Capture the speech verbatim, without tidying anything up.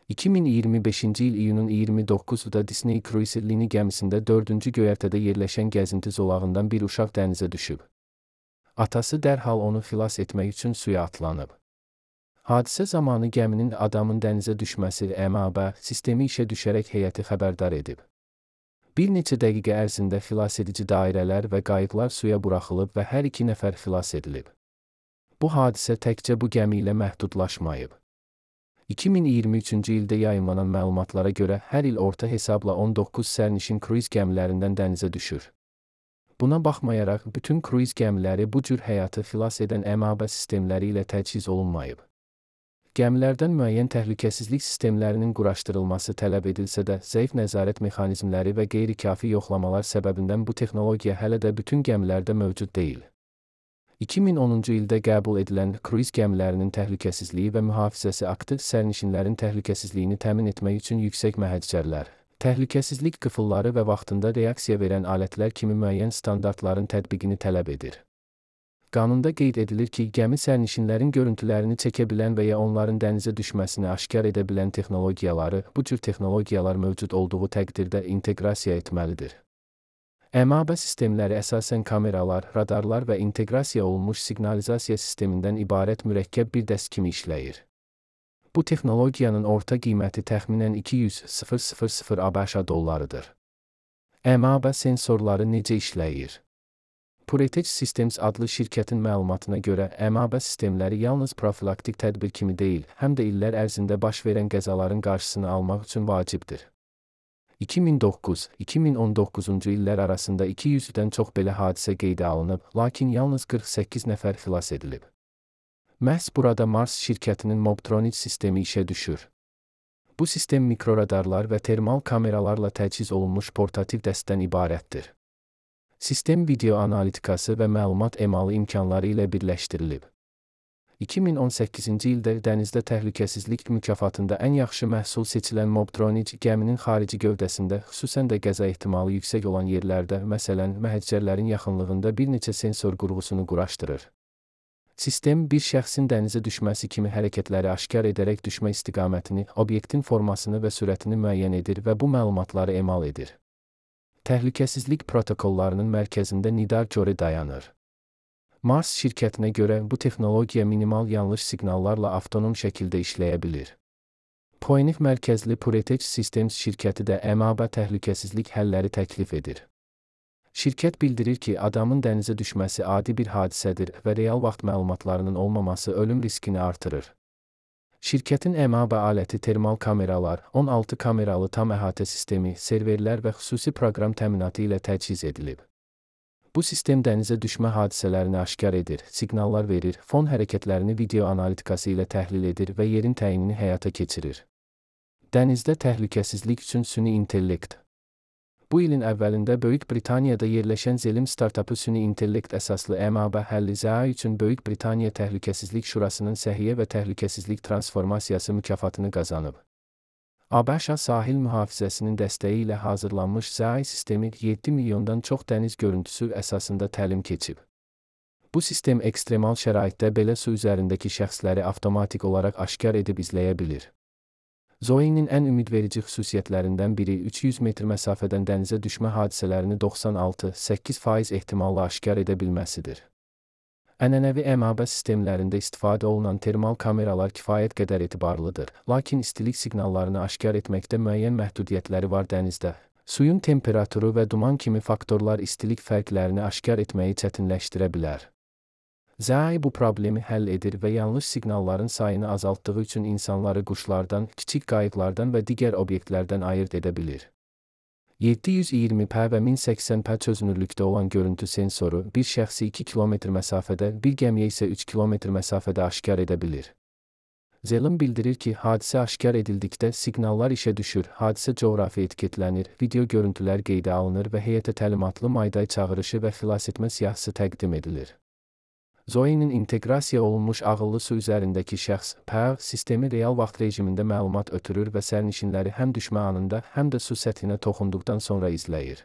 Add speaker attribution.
Speaker 1: iki min iyirmi beşinci il iyunun iyirmi doqquzunda Disney Cruise Line gəmisində dördüncü göyərtədə yerləşən gəzinti zolağından bir uşaq dənizə düşüb. Atası dərhal onu xilas etmək üçün suya atlanıb. Hadisə zamanı gəminin adamın dənizə düşməsi M A B sistemi işə düşərək heyəti xəbərdar edib. Bir neçə dəqiqə ərzində xilasedici dairələr və qayıqlar suya buraxılıb və hər iki nəfər xilas edilib. Bu hadisə təkcə bu gəmi ilə məhdudlaşmayıb. iki min iyirmi üçüncü ildə yayımlanan məlumatlara görə hər il orta hesabla on doqquz sərnişin kruiz gəmilərindən dənizə düşür. Buna baxmayaraq, bütün kruiz gəmiləri bu cür həyatı xilas edən M A B sistemləri ilə təchiz olunmayıb. Gəmilərdən müəyyən təhlükəsizlik sistemlərinin quraşdırılması tələb edilsə də, zəif nəzarət mexanizmləri və qeyri-kafi yoxlamalar səbəbindən bu texnologiya hələ də bütün gəmilərdə mövcud deyil. iki min onuncu ildə qəbul edilən kruiz gəmilərinin təhlükəsizliyi və mühafizəsi aktı sərnişinlərin təhlükəsizliyini təmin etmək üçün yüksək məhəccərlər, təhlükəsizlik qıfılları və vaxtında reaksiya verən alətlər kimi müəyyən standartların tətbiqini tələb edir. Qanunda qeyd edilir ki, gəmi sərnişinlərin görüntülərini çəkə bilən və ya onların dənizə düşməsini aşkar edə bilən texnologiyaları, bu cür texnologiyalar mövcud olduğu təqdirdə inteqrasiya etməlidir. M A B sistemləri əsasən kameralar, radarlar və inteqrasiya olunmuş siqnalizasiya sistemindən ibarət mürəkkəb bir dəst kimi işləyir. Bu texnologiyanın orta qiyməti təxminən iki yüz min ABŞ dollarıdır. M A B sensorları necə işləyir? Puretech Systems adlı şirkətin məlumatına görə M A B sistemləri yalnız profilaktik tədbir kimi deyil, həm də illər ərzində baş verən qəzaların qarşısını almaq üçün vacibdir. iki min doqquz - iki min on doqquzuncu illər arasında iki yüzdən çox belə hadisə qeydə alınıb, lakin yalnız qırx səkkiz nəfər xilas edilib. Məhz burada Mars şirkətinin Mobtronic sistemi işə düşür. Bu sistem mikroradarlar və termal kameralarla təchiz olunmuş portativ dəstdən ibarətdir. Sistem video analitikası və məlumat emalı imkanları ilə birləşdirilib. iki min on səkkizinci ildə dənizdə təhlükəsizlik mükafatında ən yaxşı məhsul seçilən Mobtronic gəminin xarici gövdəsində, xüsusən də qəza ehtimalı yüksək olan yerlərdə, məsələn, məhəccərlərin yaxınlığında bir neçə sensor qurğusunu quraşdırır. Sistem bir şəxsin dənizə düşməsi kimi hərəkətləri aşkar edərək düşmə istiqamətini, obyektin formasını və sürətini müəyyən edir və bu məlumatları emal edir. Təhlükəsizlik protokollarının mərkəzində Nidar Corey dayanır. Mars şirkətinə görə bu texnologiya minimal yanlış siqnallarla avtonom şəkildə işləyə bilir. Pioneer mərkəzli Puretech Systems şirkəti də M A B təhlükəsizlik həlləri təklif edir. Şirkət bildirir ki, adamın dənizə düşməsi adi bir hadisədir və real vaxt məlumatlarının olmaması ölüm riskini artırır. Şirkətin M A B aləti termal kameralar, on altı kameralı tam əhatə sistemi, serverlər və xüsusi proqram təminatı ilə təchiz edilib. Bu sistem dənizə düşmə hadisələrini aşkar edir, siqnallar verir, fon hərəkətlərini video analitikası ilə təhlil edir və yerin təyinini həyata keçirir. Dənizdə təhlükəsizlik üçün süni intellekt. Bu ilin əvvəlində Böyük Britaniyada yerləşən Zelim startapı süni intellekt əsaslı M A B həlli Z A üçün Böyük Britaniya Təhlükəsizlik Şurasının Səhiyyə və Təhlükəsizlik Transformasiyası mükafatını qazanıb. ABŞ sahil mühafizəsinin dəstəyi ilə hazırlanmış Z A sistemi yeddi milyondan çox dəniz görüntüsü əsasında təlim keçib. Bu sistem ekstremal şəraitdə belə su üzərindəki şəxsləri avtomatik olaraq aşkar edib izləyə bilir. Zoe'nin ən ümidverici xüsusiyyətlərindən biri üç yüz metr məsafədən dənizə düşmə hadisələrini doxsan altı - səkkiz faiz ehtimalla aşkar edə bilməsidir. Ənənəvi M A B sistemlərində istifadə olunan termal kameralar kifayət qədər etibarlıdır, lakin istilik siqnallarını aşkar etməkdə müəyyən məhdudiyyətləri var dənizdə. Suyun temperaturu və duman kimi faktorlar istilik fərqlərini aşkar etməyi çətinləşdirə bilər. Z A bu problemi həll edir və yanlış siqnalların sayını azaltdığı üçün insanları quşlardan, kiçik qayıqlardan və digər obyektlərdən ayırd edə bilir. yeddi yüz iyirmi p və min səksən p çözünürlükdə olan görüntü sensoru bir şəxsi iki kilometr məsafədə, bir gəmiyə isə üç kilometr məsafədə aşkar edə bilir. Zelim bildirir ki, hadisə aşkar edildikdə siqnallar işə düşür, hadisə coğrafi etiketlənir, video görüntülər qeydə alınır və heyətə təlimatlı mayday çağırışı və xilasetmə siyahısı təqdim edilir. Zoe'nin inteqrasiya olunmuş ağıllı su üzərindəki şəxs P A sistemi real vaxt rejimində məlumat ötürür və sərnişinləri həm düşmə anında, həm də su səthinə toxunduqdan sonra izləyir.